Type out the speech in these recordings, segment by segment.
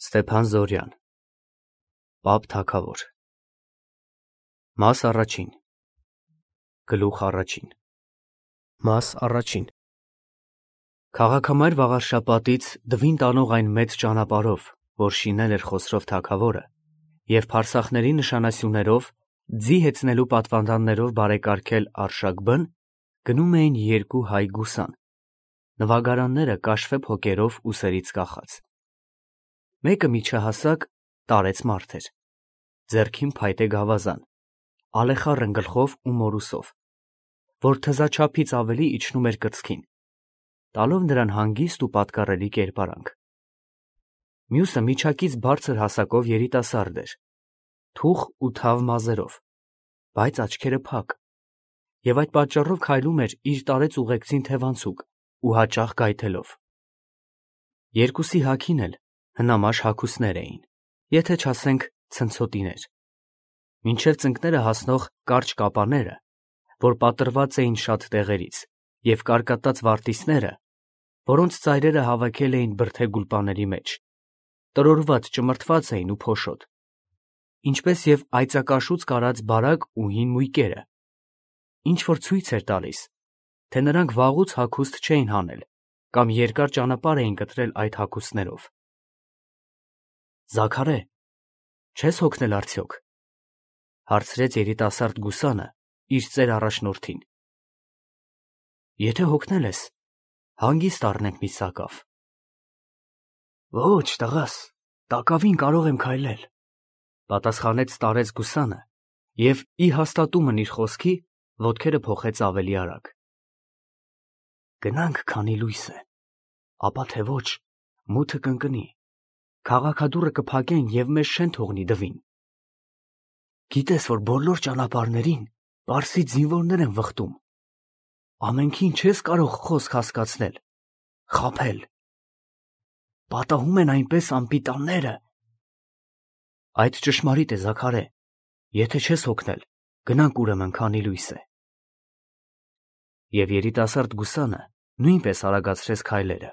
Ստեփան Զորյան Պապ թագավոր Մաս առաջին Գլուխ առաջին Մաս առաջին Քաղաքամայր վաղարշապատից դվին տանող այն մեծ ճանապարհով, որ շինել էր Խոսրով թագավորը, և փարսախների նշանասյուներով, ձի հեծնելու պատվանդաններով բարեկարգել Արշակ բն, գնում էին երկու հայ գուսան, նվագարանները կաշվե փոկերով ուսերից կախած։ Մեկը միջահասակ տարեց մարդ էր, ձեռքին փայտե գավազան, ալեխառն գլխով ու մորուսով, որ թզաչափից ավելի իջնում էր կրծքին, տալով նրան հանգիստ ու պատկառելի կերպարանք։ Մյուսը միջակից բարձր հասակով երիտասարդ էր, թուխ ու թավ մազերով, բայց աչքերը փակ, և այդ պատճառով քայլում էր իր տարեց ուղեկցին թևանցուկ ու հաճախ գայթելով։ Երկուսի հագին էլ հնամաշ հագուստներ էին, եթե չասենք ցնցոտիներ, մինչև ծնկները հասնող կարճ կապաները, որ պատրված էին շատ տեղերից, և կարկատած վարտիցները, որոնց ծայրերը հավաքել էին բրդե գուլպաների մեջ, տրորված ճմրթված էին ու փոշոտ, ինչպես և այծակաշուց կարած բարակ ու հին մույկերը, ինչ-որ ցույց էր տալիս, թե նրանք վաղուց հագուստ չէին հանել կամ երկար ճանապարհ էին կտրել այդ հագուստներով։ «Զաքարե, չե՞ս հոգնել արդյոք», հարցրեց երիտասարդ գուսանը իր ծեր առաջնորդին։ «Եթե հոգնել ես, հանգիստ առնենք մի սակավ»։ «Ոչ, տղաս, տակավին կարող եմ քայլել», պատասխանեց տարեց գուսանը և, ի հաստատումն իր խոսքի, ոտքերը փոխեց ավելի արագ։ «Գնանք, քանի լույս է, ապա թե ոչ, մութը կընկնի, քաղաքադուռը կփակեն և մեզ չեն թողնի դվին։ Գիտես, որ բոլոր ճանապարհներին պարսից զինվորներ են վխտում, ամենքին չես կարող խոսք հասկացնել, խաբել, պատահում են այնպես անպիտանները»։ «Այդ ճշմարիտ է, Զաքարե, եթե չես հոգնել, գնանք ուրեմն, քանի լույս է»։ Եվ երիտասարդ գուսանը նույնպես արագացրեց քայլերը։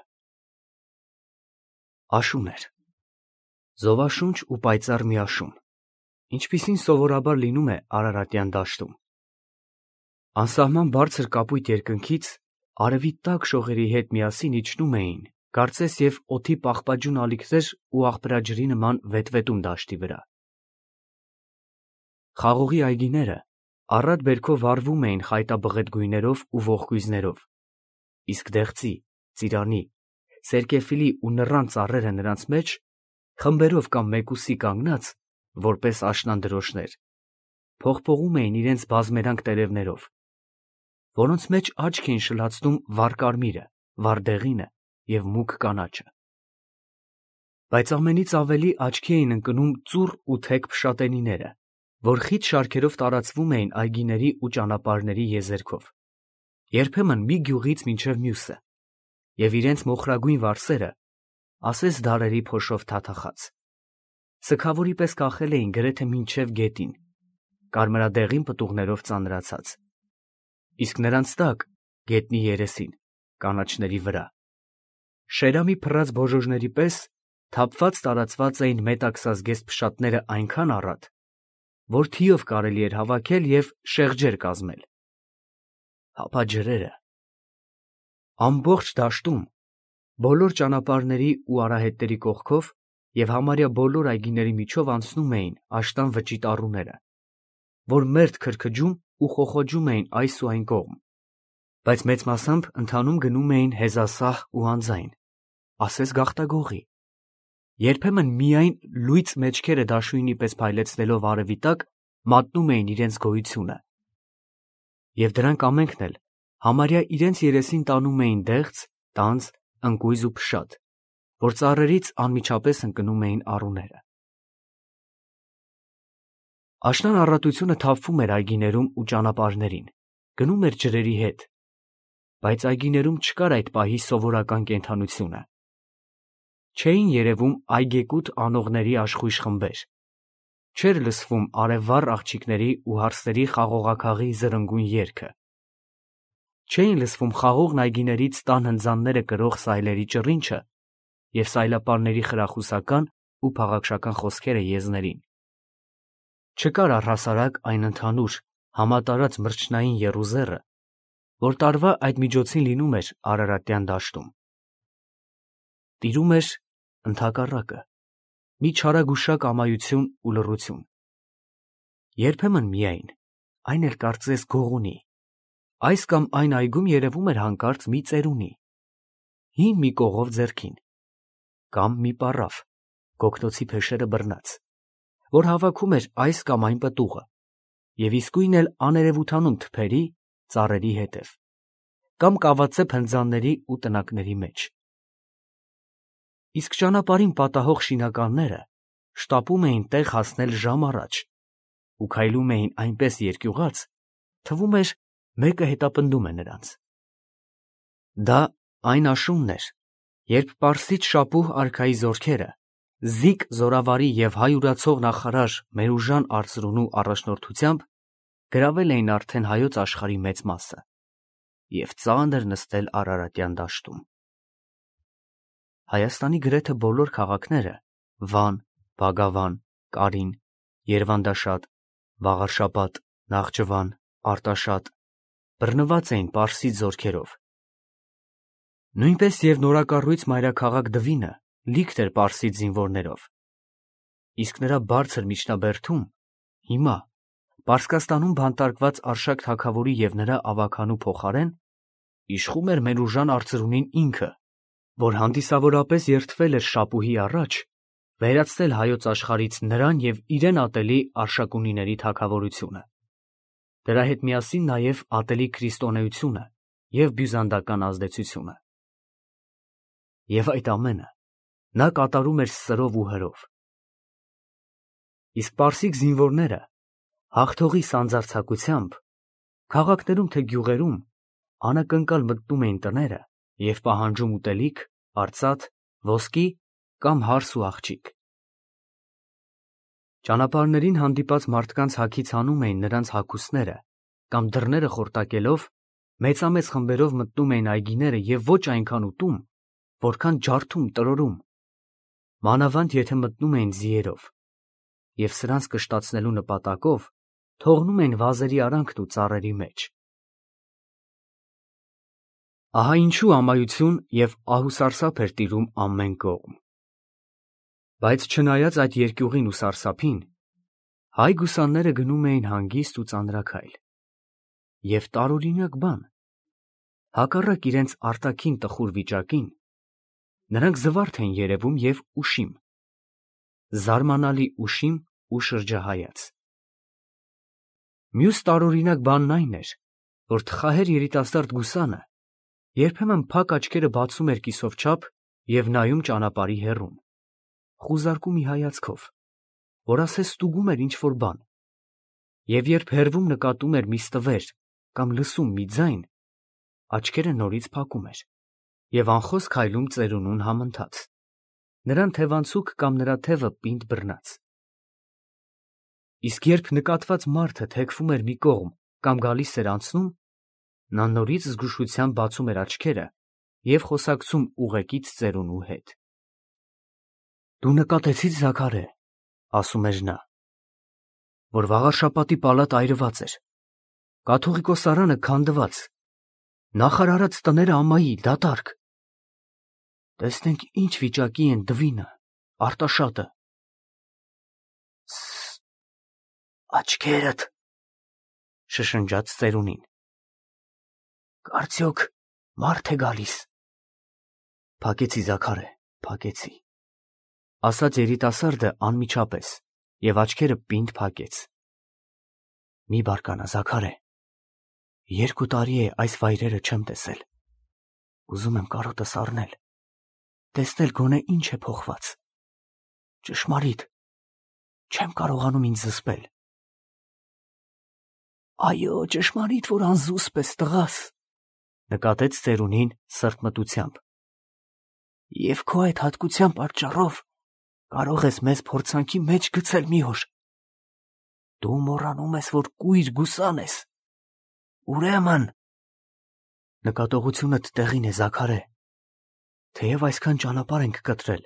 Աշուն էր, զովաշունչ ու պայծառ մի աշուն, ինչպիսին սովորաբար լինում է Արարատյան դաշտում։ Անսահման բարձր կապույտ երկնքից արևի տաք շողերի հետ միասին իջնում էին, կարծես և օդի պաղպաջուն ալիքներ ու աղբրաջրի նման վետվետում դաշտի վրա։ Խաղողի այգիները առատ բերքով վառվում էին խայտաբղետ գույներով ու ողկույզներով, իսկ դեղցի, ծիրանի, սերկևիլի ու նռան ծառերը նրանց մեջ, խմբերով կամ մեկուսի կանգնած, որպես աշնանդրոշներ, փողփողում էին իրենց բազմերանգ տերևներով, որոնց մեջ աչք էին շլացնում վառկարմիրը, վառդեղինը և մուգ կանաչը։ Բայց ամենից ավելի աչքի էին ընկնում ծուռ ու թեք փշատենիները, որ խիտ շարքերով տարածվում էին այգիների ու ճանապարհների եզերքով, երբեմն մի գյուղից մինչև մյուսը, և իրենց մոխրագույն վարսերը ասես դարերի փոշով թաթախած, սգավորի պես կախել էին գրեթե մինչև գետին, կարմրադեղին պտուղներով ծանրացած, իսկ նրանց տակ, գետնի երեսին, կանաչների վրա, շերամի փռած բոժոժների պես թափված տարածված էին մետաքսազգեստ փշատները այնքան առատ, որ թիով կարելի էր հավաքել և շեղջեր կազմել։ Հապա ջրերը… Ամբողջ դաշտում, բոլոր ճանապարհների ու արահետների կողքով և համարյա բոլոր այգիների միջով անցնում էին աշտան վճիտ առուները, որ մերթ քրքջում ու խոխոջում էին այս ու այն կողմ, բայց մեծ մասամբ ընթանում գնում էին հեզասահ ու անձայն, ասես գաղտագողի, երբեմն միայն լույծ մեջքերը դաշույնի պես փայլեցնելով արևի տակ մատնում էին իրենց գոյությունը, և դրանք ամենքն էլ համարյա իրենց երեսին տանում էին դեղց, տանձ, ընկույզ ու փշատ, որ ծառերից անմիջապես ընկնում էին առուները։ Աշնան առատությունը թափվում էր այգիներում ու ճանապարհներին, գնում էր ջրերի հետ, բայց այգիներում չկար այդ պահի սովորական կենդանությունը։ Չէին երևում այգեկուտ անողների աշխույժ խմբեր, չէր լսվում արևվառ աղջիկների ու հարսերի խաղողաքաղի զրնգուն երգը, չէին լսվում խաղողն այգիներից տան հնձանները կրող սայլերի ճռինչը և սայլապարների խրախուսական ու փաղաքշական խոսքերը եզներին։ Չկար առհասարակ այն ընդհանուր, համատարած մրջնային եռուզեռը, որ տարվա այդ միջոցին լինում էր Արարատյան դաշտում։ Տիրում էր ընդհակառակը, մի չարագուշակ ամայություն ու լռություն։ Երբեմն միայն, այն էլ կարծես գողունի, այս կամ այն այգում երևում էր հանկարծ մի ծերունի, հին մի կողով ձեռքին, կամ մի պառավ, գոգնոցի փեշերը բռնած, որ հավաքում էր այս կամ այն պտուղը, և իսկույն էլ աներևութանում թփերի, ծառերի հետև, կամ կավածե փնձանների ու տնակների մեջ։ Իսկ ճանապարհին պատահող շինականները շտապում էին տեղ հասնել ժամ առաջ ու քայլում էին այնպես երկյուղած, թվում էր մեկը հետապնդում է նրանց։ Դա այն աշունն էր, երբ պարսից շապուհ արքայի զորքերը, Զիկ զորավարի և հայ ուրացող նախարար Մերուժան արծրունու առաջնորդությամբ գրավել էին արդեն հայոց աշխարհի մեծ մասը և ծանր նստել Արարատյան դաշտում։ Հայաստանի գրեթե բոլոր քաղաքները՝ Վան, Բագավան, Կարին, Երվանդաշատ, Վաղարշապատ, Նախճվան, Արտաշատ, բռնված էին պարսից զորքերով։ Նույնպես և նորակառույց մայրաքաղաք Դվինը լիքտ էր պարսից զինվորներով, իսկ նրա բարձր միջնաբերդում հիմա Պարսկաստանում բանտարկված Արշակ թագավորի և նրա ավագանու փոխարեն իշխում էր Մերուժան արծրունին ինքը, որ հանդիսավորապես երդվել էր շապուհի առաջ վերացնել հայոց աշխարհից նրան և իրեն ատելի Արշակունիների թագավորությունը, դրա հետ միասին նաև ատելի քրիստոնեությունը և բյուզանդական ազդեցությունը։ Եվ այդ ամենը նա կատարում էր սրով ու հրով։ Իսկ պարսիկ զինվորները հաղթողի սանձարձակությամբ քաղաքներում թե գյուղերում անակնկալ մտնում էին տները և պահանջում ուտելիք, արծաթ, ոսկի կամ հարս ու աղջիկ։ Ճանապարհներին հանդիպած մարդկանց հագից հանում էին նրանց հագուստները կամ դռները խորտակելով մեծամեծ խմբերով մտնում էին այգիները և ոչ այնքան ուտում, որքան ջարդում, տրորում, մանավանդ եթե մտնում էին ձիերով, և սրանց կշտացնելու նպատակով թողնում էին վազերի արանքն ու ծառերի մեջ։ Ահա ինչու ամայություն և ահուսարսափ էր տիրում ամեն կողմ։ Բայց չնայած այդ երկյուղին ու սարսափին, հայ գուսանները գնում էին հանգիստ ու ծանրաքայլ։ Եվ տարօրինակ բան, հակառակ իրենց արտաքին տխուր վիճակին, նրանք զվարթ էին երևում և ուշիմ, զարմանալի ուշիմ ու շրջահայաց։ Մյուս տարօրինակ բանն այն էր, որ թխահեր երիտասարդ գուսանը երբեմն փակ աչքերը բացում էր կիսով և նայում ճանապարհի հեռուն, խուզարկում մի հայացքով, որ ասես ստուգում էր ինչ-որ բան, և երբ հեռվում նկատում էր մի ստվեր կամ լսում մի ձայն, աչքերը նորից փակում էր և անխոս քայլում ծերունուն համընթաց, նրան թևանցուկ կամ նրա թևը պինդ բռնած։ Իսկ երբ նկատված մարդը թեքվում էր մի կողմ կամ գալիս էր անցնում, նա նորից զգուշությամբ բացում էր աչքերը և խոսակցում ուղեկից ծերունու հետ։ «Դու նկատեցի՞ր, Զաքարե, ֊ ասում էր նա, ֊ որ Վաղարշապատի պալատը այրված էր, կաթողիկոսարանը քանդված, նախարարած տները ամայի, դատարկ։ Տեսնենք ինչ վիճակի են Դվինը, Արտաշատը»։ Աչքերդ, ֊ շշնջաց ծերունին, ֊ կարծյոք մարդ է գալիս։ Փակեցի, Զաքարե, փակեցի, ֊ ասաց երիտասարդը անմիջապես և աչքերը պինդ փակեց։ Մի բարկանա, Զաքարե, 2 տարի է այս վայրերը չեմ տեսել։ Ուզում եմ կարոտս առնել, տեսնել գոնե ինչ է փոխված։ Ճշմարիտ, չեմ կարողանում ինձ զսպել։ Այո, ճշմարիտ, որ անզուսպ ես, տղաս, ֊ նկատեց ծերունին սրտմտությամբ։ Եվ քո այդ հատկության պատճառով կարող ես մեզ փորձանքի մեջ գցել մի օր։ Դու մոռանում ես, որ կույր գուսան ես։ Ուրեմն… Նկատողությունդ տեղին է, Զաքարե, թեև այսքան ճանապարհ ենք կտրել,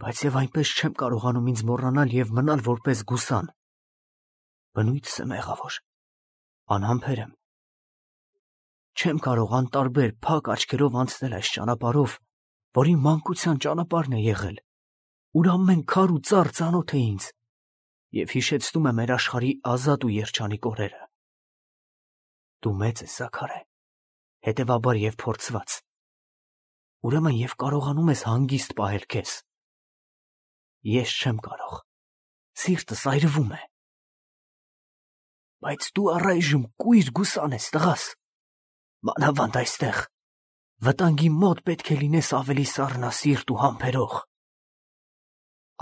Բայց եւ այնպես չեմ կարողանում ինձ մոռանալ եւ մնալ որպես գուսան։ Բնույթս է մեղավոր, անհամբեր եմ։ Չեմ կարող անտարբեր փակ աչքերով անցնել այս ճանապարհով, որի մանկության ճանապարհն է եղել, ուր ամեն քար ու ծառ ծանոթ է ինձ եւ հիշեցնում է մեր աշխարհի ազատ ու երջանիկ օրերը։ Դու մեծ ես, Զաքարե, հետևաբար եւ փորձված։ Ուրեմն եւ կարողանում ես հանգիստ պահել քեզ։ Ես չեմ կարող, սիրտս այրվում է։ Բայց դու առայժմ կույր գուսան ես, տղաս, մանավանդ այստեղ, վտանգի մոտ պետք է լինես ավելի սառնասիրտ ու համբերող։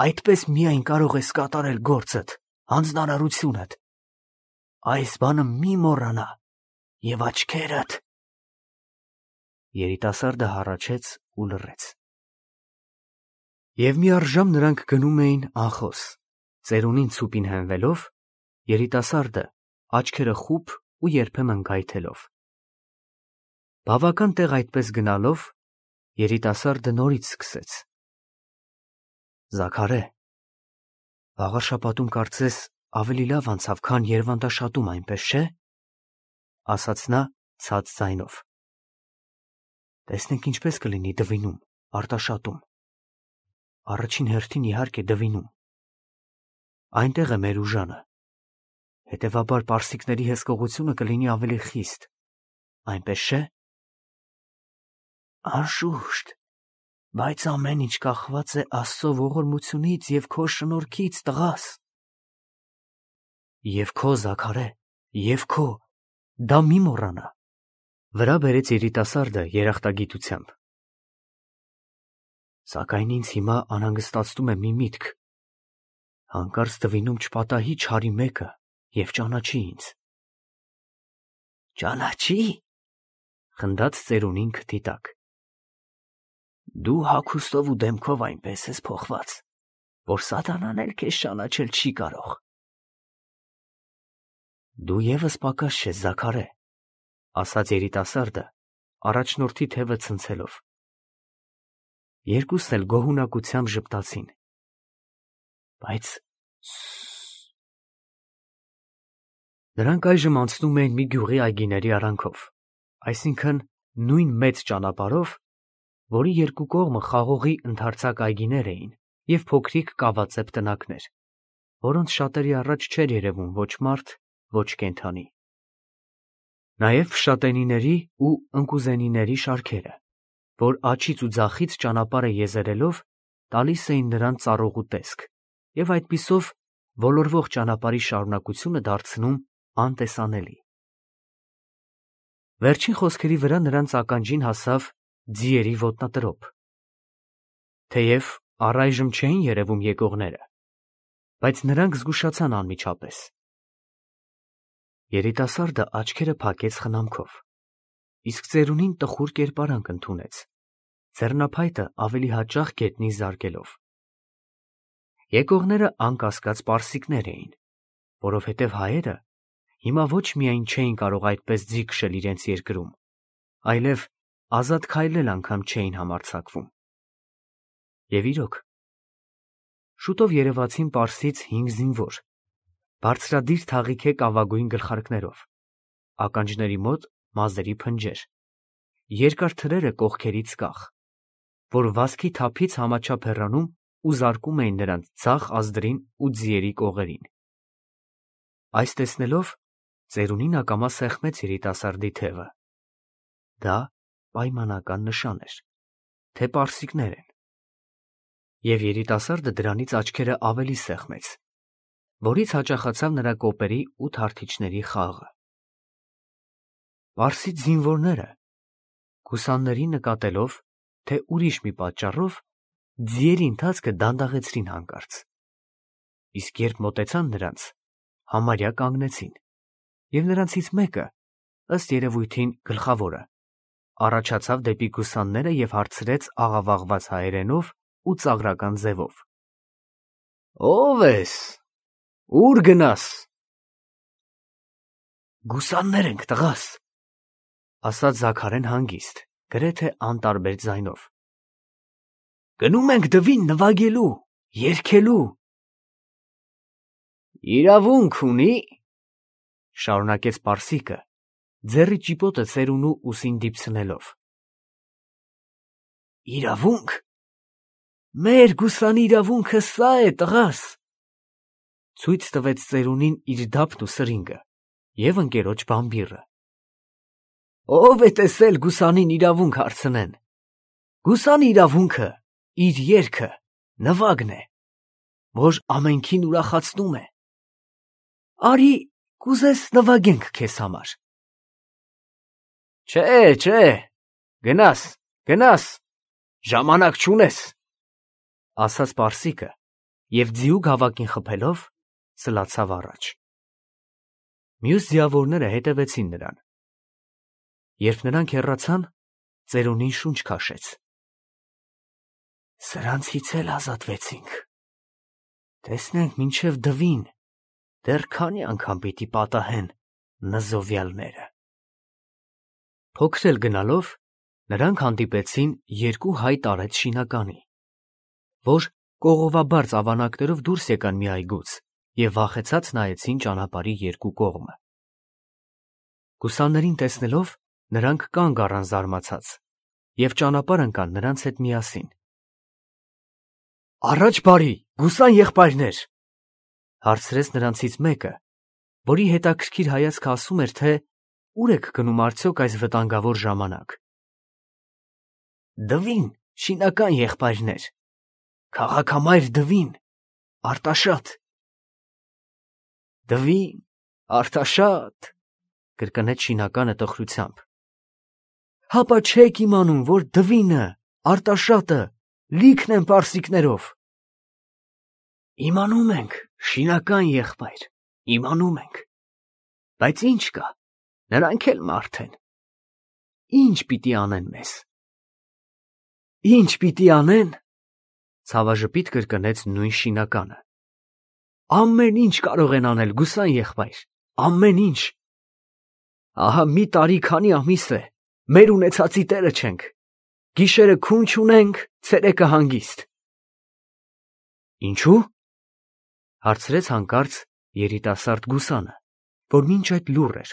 Այդպես միայն կարող ես կատարել գործդ, հանձնարարությունդ։ Այս բանը մի մոռանա եւ աչքերդ։ Երիտասարդը հառաչեց ու լռեց։ Եվ մի առժամ նրանք գնում էին անխոս, ծերունին ցուպին հենվելով, երիտասարդը աչքերը խուփ ու երբեմն գայթելով։ Բավական տեղ այդպես գնալով, երիտասարդը նորից սկսեց. Զաքարե, վաղը շաբաթում կարծես ավելի լավ անցավ, քան Երվանդաշատում, այնպես չէ, ասաց նա ցած ձայնով։ Տեսնենք ինչպես կլինի Դվինում, Արտաշատում։ Առաջին հերթին իհարկե Դվինում։ Այնտեղ է մեր ուժանը։ Հետևաբար պարսիկների հսկողությունը կլինի ավելի խիստ, այնպես չէ։ Անշուշտ, բայց ամեն ինչ կախված է Աստծո ողորմությունից եւ քո շնորհքից, տղաս։ Եվ քո, Զաքարե, եւ քո, դա մի մոռանա։ Վրա բերեց երիտասարդը երախտագիտությամբ։ Սակայն ինձ հիմա անհանգստացնում է մի միտք։ Հանկարծ Դվինում չպատահի չարի մեկը եւ ճանաչի ինձ։ Ճանաչի, խնդաց ծերունին քթի տակ։ Դու հագուստով ու դեմքով այնպես ես փոխված, որ սատանան էլ քեզ ճանաչել չի կարող։ Դու եւս պակաս չես, Զաքարե, ասաց երիտասարդը, առաջնորդի թևը ցնցելով։ Երկուսն էլ գոհունակությամբ ժպտացին։ Բայց նրանք այժմ անցնում էին մի գյուղի այգիների արանքով, այսինքն նույն մեծ ճանապարհով, որի երկու կողմը խաղողի ընդարձակ այգիներ էին եւ փոքրիկ կավածեպ տնակներ, որոնց շատերի առաջ չէր երևում ոչ մարդ, ոչ կենդանի։ Նաեւ փշատենիների ու ընկուզենիների շարքերը, որ աջից ու ձախից ճանապարհը եզերելով տալիս էին նրան ծառողու տեսք եւ այդպիսով ոլորվող ճանապարհի շարունակությունը դարձնում անտեսանելի։ Վերջին խոսքերի վրա նրանց ականջին հասավ ձիերի ոտնատրոփ։ Թեև առայժմ չէին երևում եկողները, բայց նրանք զգուշացան անմիջապես։ Երիտասարդը աչքերը փակեց խնամքով, իսկ ծերունին տխուր կերպարանք ընդունեց, ձեռնափայտը ավելի հաճախ գետնին զարկելով։ Եկողները անկասկած պարսիկներ էին, որովհետև հայերը հիմա ոչ միայն չէին կարող այդպես ձի քշել իրենց երկրում, այլև ազատ քայլել անգամ չէին համարձակվում։ Եվ իրոք, շուտով երևացին Պարսից 5 զինվոր, բարձրադիր թաղիքե կավագույն գլխարկներով, ականջների մոտ մազերի փնջեր, երկար թրերը կողքերից կախ, որ վազքի թափից համաչափ հեռանում ու զարկում էին նրանց ձախ ազդրին ու ձիերի կողերին։ Այս տեսնելով ծերունին ակամա սեղմեց երիտասարդի թևը։ Դա պայմանական նշան էր, թե պարսիկներ են։ Եվ երիտասարդը դրանից աչքերը ավելի սեղմեց, որից հաճախացավ նրա կոպերի ու թարթիչների խաղը։ Պարսից զինվորները, գուսաններին նկատելով, թե ուրիշ մի պատճառով, ձիերի ընթացքը դանդաղեցրին հանկարծ, իսկ երբ մոտեցան նրանց, համարյա կանգնեցին, և նրանցից մեկը, ըստ երևույթին գլխավորը, առաջացավ դեպի գուսանները և հարցրեց աղավաղված հայերենով ու ծաղրական ձևով. Ո՞վ ես, ուր գնաս։ Գուսաններ ենք, տղաս, ասաց Զաքարեն հանգիստ, գրեթե անտարբեր ձայնով։ Գնում ենք դվին նվագելու, երգելու։ Իրավունք ունի, շարունակեց պարսիկը, ձեռի ճիպոտը ծերունու ուսին դիպցնելով։ Իրավունք։ Մեր գուսանի իրավունքը սա է, տղաս։ Ցույց տվեց ծերունին իր դափն ու սրինգը և ընկերոջ բամբիռը։ Ով է տեսել գուսանին իրավունք հարցնեն։ Գուսանի իրավունքը իր երգը, նվագն է, որ ամենքին ուրախացնում է։ Արի, կուզես նվագենք քեզ համար։ Չէ, գնաս, ժամանակ չունես, ասաց պարսիկը և ձիու գավակին խփելով սլացավ առաջ։ Մյուս ձիավորները հետևեցին նրան։ Երբ նրանք հեռացան, ծերունին շունչ քաշեց։ Սրանցից էլ ազատվեցինք։ Տեսնենք մինչև դվին, դեռ քանի անգամ պիտի պատահեն նզովյալները։ Փոքր էլ գնալով, նրանք հանդիպեցին երկու հայ տարեց շինականի, որ կողովաբարձ ավանակներով դուրս եկան մի այգուց և վախեցած նայեցին ճանապարհի երկու կողմը։ Գուսաններին տեսնելով, նրանք կանգ առան զարմացած և ճանապարհ ընկան նրանց հետ միասին։ Առաջ բարի, գուսան եղբայրներ, հարցրեց նրանցից մեկը, որի հետաքրքիր հայացքը ասում էր, թե ուր եք գնում արդյոք այս վտանգավոր ժամանակ։ Դվին, շինական եղբայրներ, քաղաքամայր դվին, Արտաշատ։ Դվին, Արտաշատ, կրկնեց շինականը տխրությամբ։ Հապա չեք իմանում, որ դվինը, Արտաշատը լիքն են պարսիկներով։ Իմանում ենք, շինական եղբայր, իմանում ենք, բայց ինչ կա, նրանք էլ մարդ են։ Ինչ պիտի անեն մեզ։ Ինչ պիտի անեն, ցավաժպիտ կրկնեց նույն շինականը։ Ամեն ինչ կարող են անել, գուսան եղբայր, ամեն ինչ։ Ահա մի տարի քանի ամիս է, մեր ունեցածի տերը չենք, գիշերը քուն չունենք, ցերեկը հանգիստ։ Ինչու՞։ Հարցրեց հանկարծ երիտասարդ գուսանը, որ մինչ այդ լուռ էր։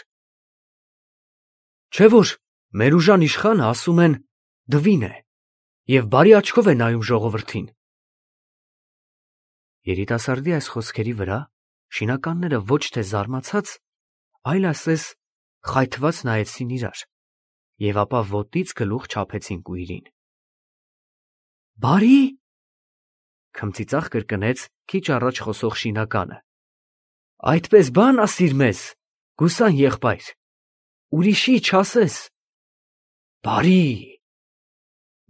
Չէ՞ որ մեր ուժան իշխանը ասում են դվին է և բարի աչքով է նայում ժողովրդին։ Երիտասարդի այս խոսքերի վրա շինականները ոչ թե զարմացած, այլ ասես խայթված նայեցին իրար և ապա ոտից գլուխ չափեցին կույրին։ Բարի՞։ Քմծիծաղ կրկնեց քիչ առաջ խոսող շինականը։ Այդպես բան ասիր մեզ, գուսան եղբայր, ուրիշի չասես։ Բարի։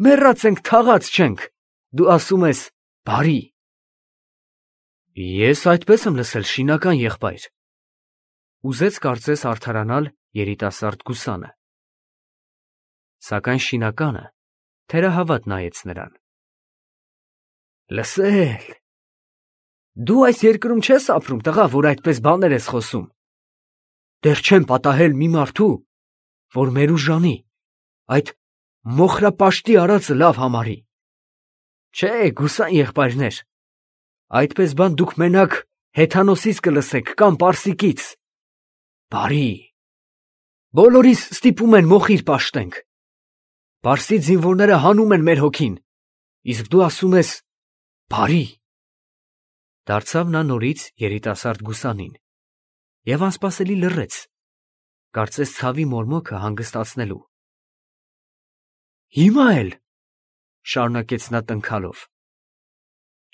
Մեռած ենք, թաղած չենք, դու ասում ես բարի։ Ես այդպես եմ լսել, շինական եղբայր, ուզեց կարծես արդարանալ երիտասարդ գուսանը։ Սակայն շինականը թերահավատ նայեց նրան։ Լսել։ Դու այս երկրում չես ապրում, տղա, որ այդպես բաներ ես խոսում։ Դեռ չեմ պատահել մի մարդու, որ մեր ուժանի, այդ մոխրապաշտի արածը լավ համարի։ Չէ, գուսան եղբայրներ, այդպես բան դուք մենակ հեթանոսից կլսեք կամ պարսիկից։ Բարի։ Բոլորիս ստիպում են մոխիր պաշտենք։ Պարսի զինվորները հանում են մեր հոգին, իսկ դու ասում ես բարի։ Դարձավ նա նորից երիտասարդ գուսանին և անսպասելի լռեց, կարծես ցավի մորմոքը հանգստացնելու։ Հիմա էլ, շարունակեց նա տնքալով,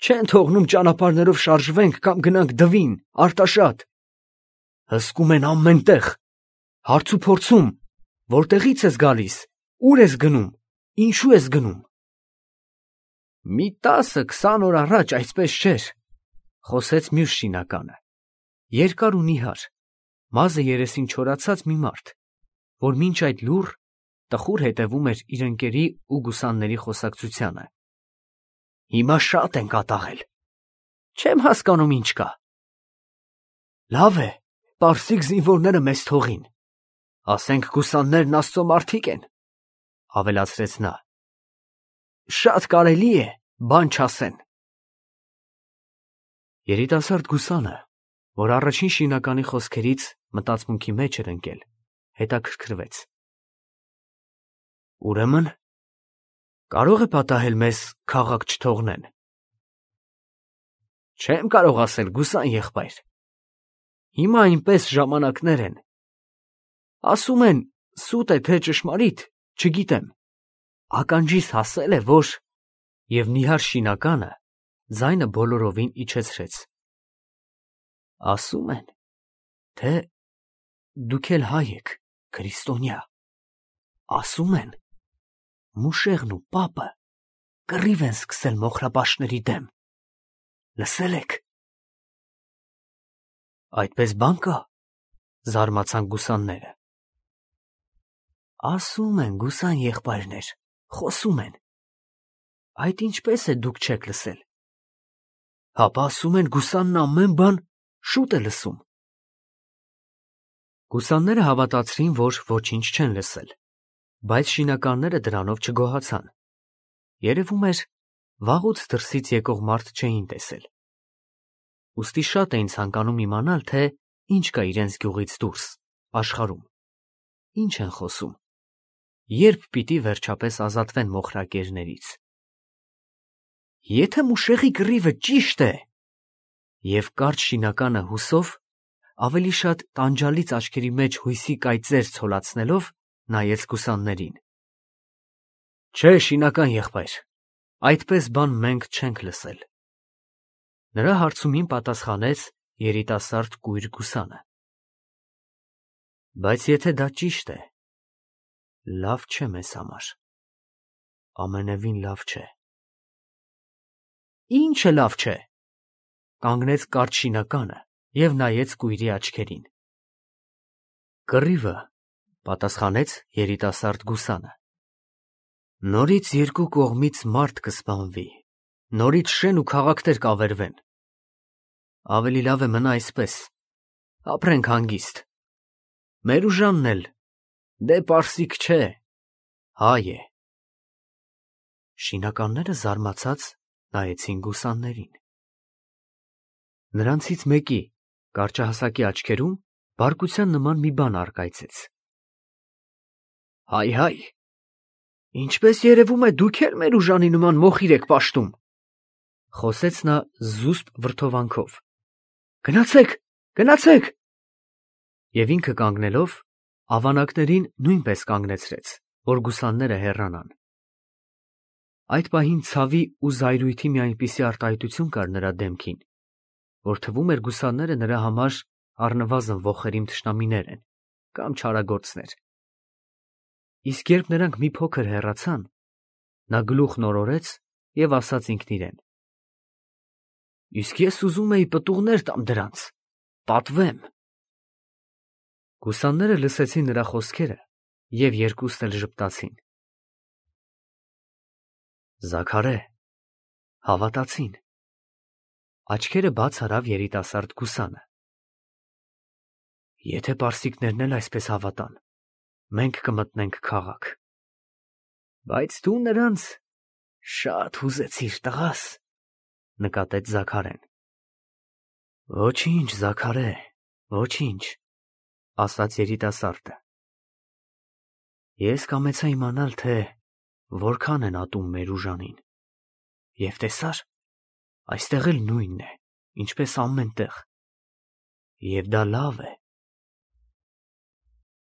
չեն թողնում ճանապարհներով շարժվենք կամ գնանք դվին, Արտաշատ։ Հսկում են ամեն տեղ, հարց ու փորձում, որտեղից ես գալիս, ուր ես գնում, ինչու ես գնում։ Մի 10-20 օր առաջ այսպես չէր, խոսեց մյուս շինականը, երկար ու նիհար, մազը երեսին չորացած մի մարդ, որ մինչ այդ լուռ տխուր հետևում էր իր ընկերի ու գուսանների խոսակցությանը։ Հիմա շատ են կատաղել, չեմ հասկանում ինչ կա։ Լավ է, պարսիկ զինվորները մեզ թողին, ասենք գուսաններն աստծո մարդիկ են, ավելացրեց նա։ Շատ կարելի է, բան չասեն։ Երիտասարդ գուսանը, որ առաջին շինականի խոսքերից մտածմունքի մեջ էր ընկել, հետաքրքրվեց։ Ուրեմն, կարող է պատահել մեզ քաղաք չթողնեն։ Չեմ կարող ասել, գուսան եղբայր։ Հիմա այնպես ժամանակներ են։ Ասում են, սուտ է թե ճշմարիտ, չգիտեմ։ Ականջիս հասել է, որ… Եվ նիհար շինականը ձայնը բոլորովին իջեցրեց։ Ասում են, թե դուք էլ հայ եք, քրիստոնյա։ Ասում են, Մուշեղն ու պապը կռիվ են սկսել մոխրապաշտների դեմ։ Լսել եք։ Այդպես բան կա, զարմացան գուսանները։ Ասում են, գուսան եղբայրներ, խոսում են։ Այդ ինչպես է դուք չեք լսել։ Հապա ասում են, գուսանն ամեն բան շուտ է լսում։ Գուսանները հավատացրին, որ ոչինչ չեն լսել, բայց շինականները դրանով չգոհացան։ Երևում էր, վաղուց դրսից եկող մարդ չէին տեսել։ Ուստի շատ էին ցանկանում իմանալ, թե ինչ կա իրենց գյուղից դուրս, աշխարհում։ Ինչ են խոսում։ Երբ պիտի վերջապես ազատվեն մոխրակերներից։ Եթե Մուշեղի կռիվը ճիշտ է… Եվ կարճ շինականը հուսով, ավելի շատ տանջալից աչքերի մեջ հույսի կայծեր ցոլացնելով, նայեց գուսաններին։ Չէ, շինական եղբայր, այդպես բան մենք չենք լսել։ Նրա հարցումին պատասխանեց երիտասարդ կույր գուսանը։ Բայց եթե դա ճիշտ է, լավ չէ մեզ համար։ Ամենևին լավ չէ։ Ինչը լավ չէ։ Կանգնեց կարճ շինականը և նայեց կույրի աչքերին։ Կռիվը, պատասխանեց երիտասարդ գուսանը։ Նորից երկու կողմից մարդ կսպանվի, նորից շեն ու քաղաքներ կավերվեն։ Ավելի լավ է մնա այսպես, ապրենք հանգիստ։ Մեր ուժանն էլ, դե պարսիկ չէ, հայ է։ Շինականները զարմացած նայեցին գուսաններին։ Նրանցից մեկի կարճահասակի աչքերում բարկության նման մի բան առկայծեց։ Հայ, ինչպես երևում է, դուք էլ մեր ուժանի նման մոխիր եք պաշտում, խոսեց նա զուսպ վրդովանքով։ Գնացեք։ Եվ ինքը կանգնելով, ավանակներին նույնպես կանգնեցրեց, որ գուսանները հեռանան։ Այդ պահին ցավի ու զայրույթի մի այնպիսի արտահայտություն կար նրա դեմքին, որ թվում էր գուսանները նրա համար առնվազն ոխերիմ թշնամիներ են կամ չարագործներ։ Իսկ երբ նրանք մի փոքր հեռացան, նա գլուխն օրորեց և ասաց ինքն իրեն. Իսկ ես ուզում էի պտուղներ տամ դրանց, պատվեմ։ Գուսանները լսեցին նրա խոսքերը և երկուսն էլ ժպտացին։ Զաքարե, հավատացին։ Աչքերը բաց արավ երիտասարդ գուսանը։ Եթե պարսիկներն էլ այսպես հավատան, մենք կմտնենք քաղաք։ Բայց դու նրանց շատ հուզեցիր, տղաս, նկատեց Զաքարեն։ Ոչինչ, Զաքարե, ոչինչ, ասաց երիտասարդը։ Ես կամեցա իմանալ, թե որքան են ատում մեր ուժանին։ Եվ տեսար, այստեղ էլ նույնն է, ինչպես ամեն տեղ։ Եվ դա լավ է,